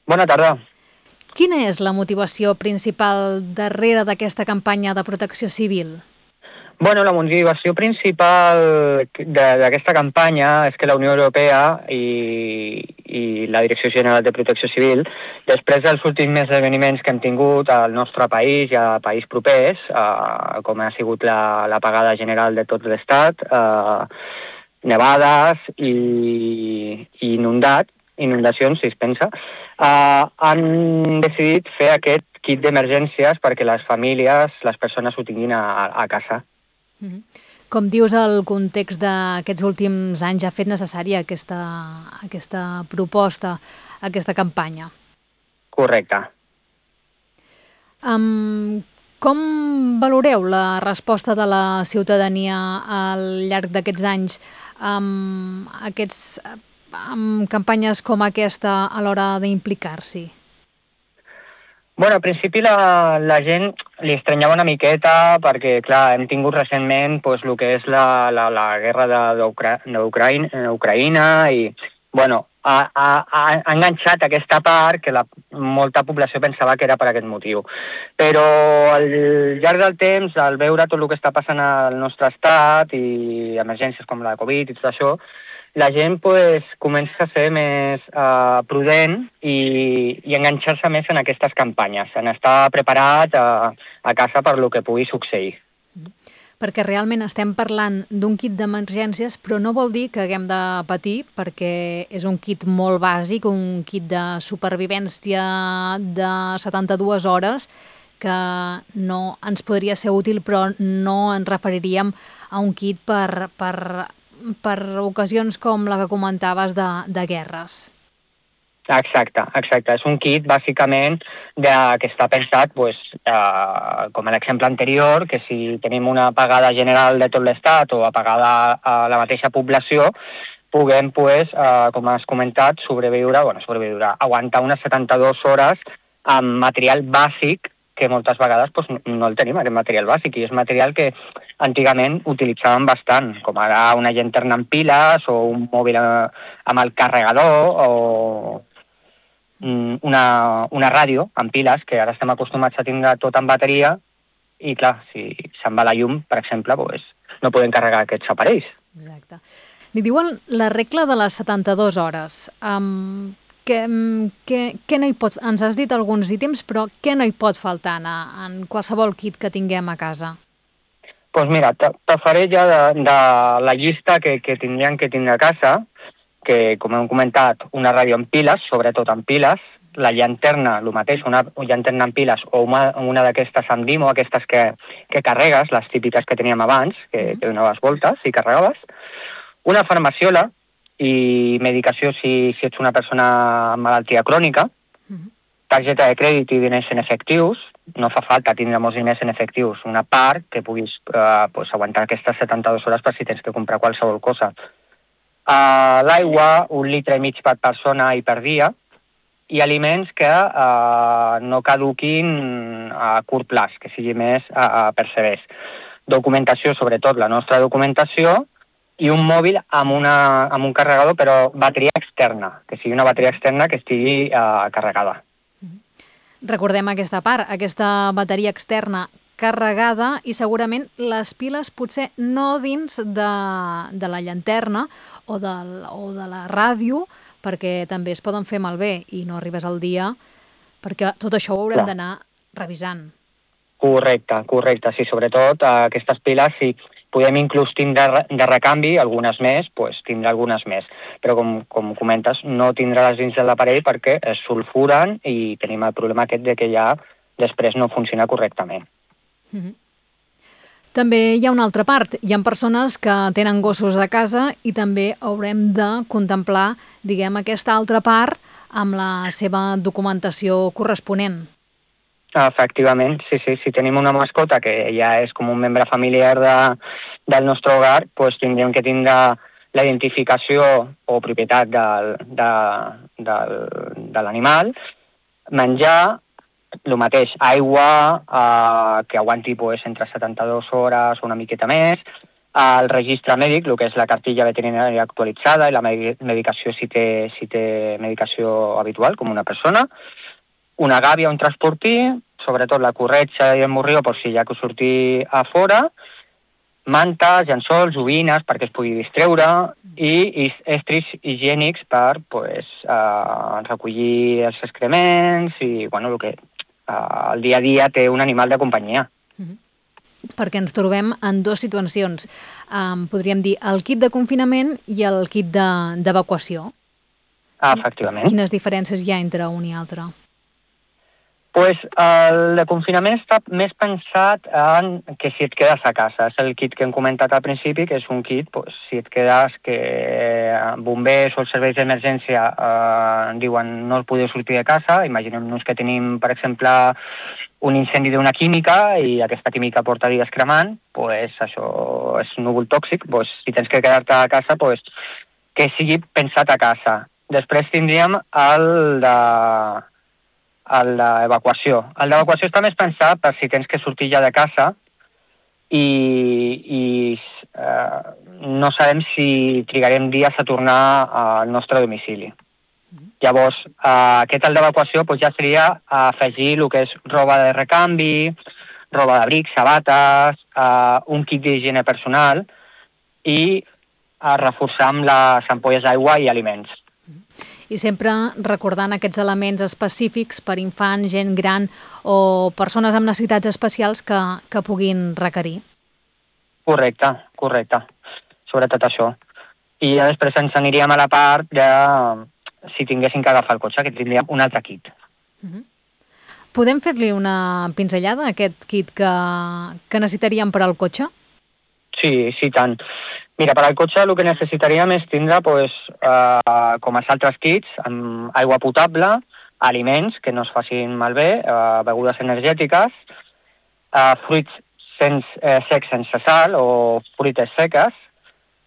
Bona tarda. Quina és la motivació principal darrere d'aquesta campanya de protecció civil? La motivació principal d'aquesta campanya és que la Unió Europea i la Direcció General de Protecció Civil, després dels últims esdeveniments que hem tingut al nostre país i a països propers, com ha sigut l'apagada general de tot l'Estat, nevades i inundacions, si es pensa, han decidit fer aquest kit d'emergències perquè les famílies, les persones ho tinguin a casa. Com dius, el context d'aquests últims anys ha fet necessària aquesta proposta, aquesta campanya. Correcte. Com valoreu la resposta de la ciutadania al llarg d'aquests anys amb campanyes com aquesta a l'hora d'implicar-s'hi? Al principi la gent li estranyava una miqueta perquè, clar, hem tingut recentment el que és la guerra d'Ucraïna i, ha enganxat aquesta part que molta població pensava que era per aquest motiu. Però al llarg del temps, al veure tot el que està passant al nostre estat i emergències com la Covid i tot això, la gent comença a ser més prudent i enganxar-se més en aquestes campanyes, en estar preparat a casa per lo que pugui succeir. Perquè realment estem parlant d'un kit d'emergències, però no vol dir que haguem de patir, perquè és un kit molt bàsic, un kit de supervivència de 72 hores, que no ens podria ser útil, però no ens referiríem a un kit per ocasions com la que comentaves de guerres. Exacte. És un kit, bàsicament, que està pensat, com l'exemple anterior, que si tenim una apagada general de tot l'Estat o apagada a la mateixa població, puguem, com has comentat, sobreviure, aguantar unes 72 hores amb material bàsic que moltes vegades no el tenim, aquest material bàsic, i és material que antigament utilitzàvem bastant, com ara una llanterna amb piles o un mòbil amb el carregador o una ràdio amb piles, que ara estem acostumats a tindre tot en bateria i, clar, si se'n va la llum, per exemple, no podem carregar aquests aparells. Exacte. N'hi diuen la regla de les 72 hores. Què no hi pot... Ens has dit alguns ítems, però què no hi pot faltar en qualsevol kit que tinguem a casa? Doncs mira, te faré ja de la llista que tindríem que tindre a casa, que, com hem comentat, una ràdio amb piles, sobretot amb piles, la llanterna, el mateix, una llanterna amb piles o una d'aquestes amb dimo, aquestes que carregues, les típiques que teníem abans, que donaves voltes i carregaves, una farmaciola i medicació si ets una persona amb malaltia crònica, targeta de crèdit i diners en efectius, no fa falta tindre molts diners en efectius, una part que puguis aguantar aquestes 72 hores per si tens que comprar qualsevol cosa. L'aigua, 1,5 litres per persona i per dia, i aliments que no caduquin a curt plaç, que sigui més percebers. Documentació, sobretot la nostra documentació, i un mòbil amb un carregador, però bateria externa, que sigui una bateria externa que estigui carregada. Recordem aquesta part, aquesta bateria externa carregada i segurament les piles potser no dins de la llanterna o de la ràdio, perquè també es poden fer malbé i no arribes al dia, perquè tot això ho haurem d'anar revisant. Correcte. Sí, sobretot aquestes piles, si podem inclús tindre de recanvi, algunes més, tindre algunes més. Però com comentes, no tindre-les dins de l'aparell perquè es sulfuren i tenim el problema aquest de que ja després no funciona correctament. També hi ha una altra part. Hi ha persones que tenen gossos a casa i també haurem de contemplar, diguem, aquesta altra part amb la seva documentació corresponent. Efectivament, sí. Si tenim una mascota que ja és com un membre familiar del nostre hogar, tindríem que tindre la identificació o propietat de l'animal, menjar, el mateix, aigua que aguanti entre 72 hores o una miqueta més, el registre mèdic, el que és la cartilla veterinària actualitzada i la medicació si té medicació habitual, com una persona, una gàbia, un transportí, sobretot la corretja i el morrió, per si hi ha que sortir a fora, mantes, llençols, joguines perquè es pugui distreure i estris higiènics per recollir els excrements i el que el dia a dia té un animal de companyia. Perquè ens trobem en dues situacions. Podríem dir el kit de confinament i el kit d'evacuació. Efectivament. Quines diferències hi ha entre un i altre? El de confinament està més pensat en que si et quedes a casa. És el kit que hem comentat al principi, que és un kit, si et quedes, que bombers o els serveis d'emergència diuen no podeu sortir de casa. Imaginem-nos que tenim, per exemple, un incendi d'una química i aquesta química porta dies cremant, això és un núvol tòxic, si tens que quedar-te a casa, que sigui pensat a casa. Després tindríem el d'evacuació. El d'evacuació està més pensat per si tens que sortir ja de casa i no sabem si trigarem dies a tornar al nostre domicili. Llavors, aquest el d'evacuació ja seria afegir el que és roba de recanvi, roba d'abric, sabates, un kit d'higiene personal i reforçar amb les ampolles d'aigua i aliments. I sempre recordant aquests elements específics per infants, gent gran o persones amb necessitats especials que puguin requerir. Correcte. Sobretot això. I després ens aniríem a la part de si tinguéssim que agafar el cotxe, que tindríem un altre kit. Podem fer-li una pinzellada a aquest kit que necessitaríem per al cotxe? Sí, tant. Mira, per al cotxe el que necessitaríem és tindre, com els altres kits, amb aigua potable, aliments que no es facin malbé, begudes energètiques, fruits secs sense sal o fruites seques,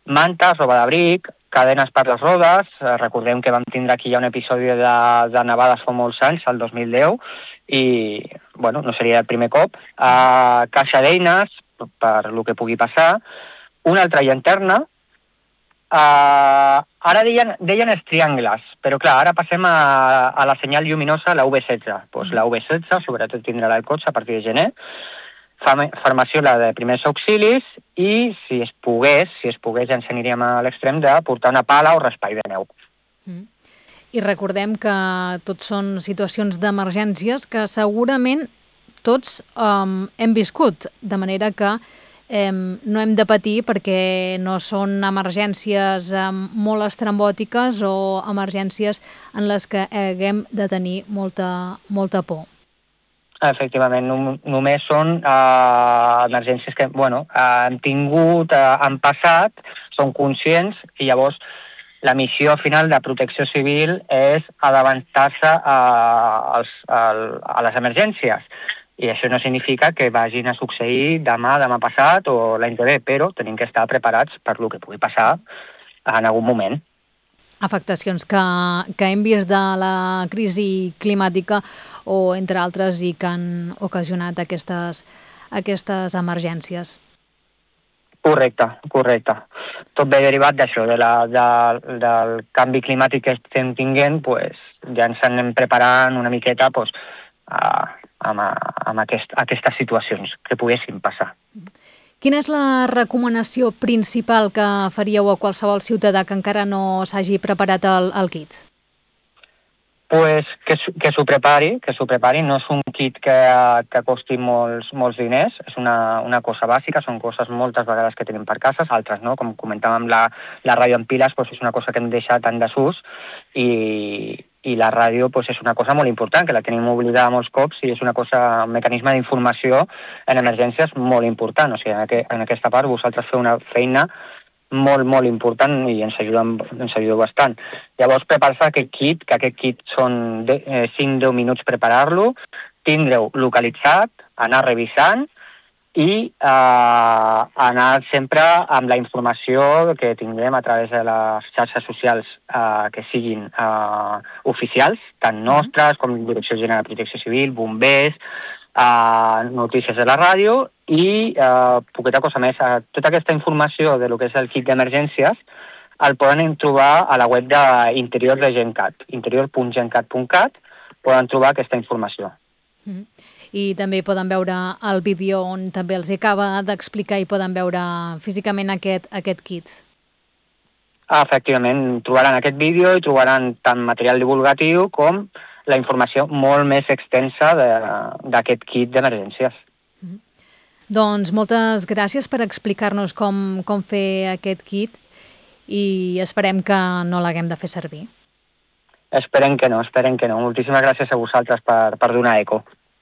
mantes, roba d'abric, cadenes per les rodes. Recordem que vam tindre aquí ja un episodi de nevades fa molts anys, el 2010, i no seria el primer cop. Caixa d'eines per el que pugui passar, una altra llanterna. Ara deien els triangles, però clar, ara passem a la senyal lluminosa, la UV16. La UV16, sobretot tindrà el cotxe a partir de gener, farmaciola de primers auxilis i, si es pogués, ja ens aniríem a l'extrem de portar una pala o raspall de neu. I recordem que tot són situacions d'emergències que segurament tots hem viscut, de manera que no hem de patir perquè no són emergències molt estrambòtiques o emergències en les que haguem de tenir molta por. Efectivament, només són emergències que han tingut, han passat, són conscients i llavors la missió final de protecció civil és avançar-se a les emergències. I això no significa que vagin a succeir demà passat o l'any que ve, però tenim que estar preparats per el que pugui passar en algun moment. Afectacions que hem vist de la crisi climàtica o entre altres i que han ocasionat aquestes emergències. Correcte. Tot ve derivat d'això, del canvi climàtic que estem tinguent, ja ens anem preparant una miqueta amb aquestes situacions que poguessin passar. Quina és la recomanació principal que faríeu a qualsevol ciutadà que encara no s'hagi preparat el kit? Que s'ho prepari. No és un kit que costi molts diners, és una cosa bàsica, són coses moltes vegades que tenim per casa, altres no, com comentàvem la ràdio en piles, és una cosa que hem deixat en desús i la ràdio és una cosa molt important, que la tenim oblidada molts cops i és un mecanisme d'informació en emergències molt important. O sigui, en aquesta part vosaltres feu una feina molt, molt important i ens ajudeu bastant. Llavors, preparar-se aquest kit, que aquest kit són 5-10 minuts preparar-lo, tindreu localitzat, anar revisant i anar sempre amb la informació que tinguem a través de les xarxes socials que siguin oficials, tant nostres com Direcció General de Protecció Civil, bombers, notícies de la ràdio i poqueta cosa més. Tota aquesta informació de lo que és el kit d'emergències el poden trobar a la web d'Interior de GenCat, interior.gencat.cat, poden trobar aquesta informació. I també poden veure el vídeo on també els acaba d'explicar i poden veure físicament aquest kit. Efectivament, trobaran aquest vídeo i trobaran tant material divulgatiu com la informació molt més extensa d'aquest kit d'emergències. Doncs moltes gràcies per explicar-nos com fer aquest kit i esperem que no l'haguem de fer servir. Esperem que no. Moltíssimes gràcies a vosaltres per donar eco.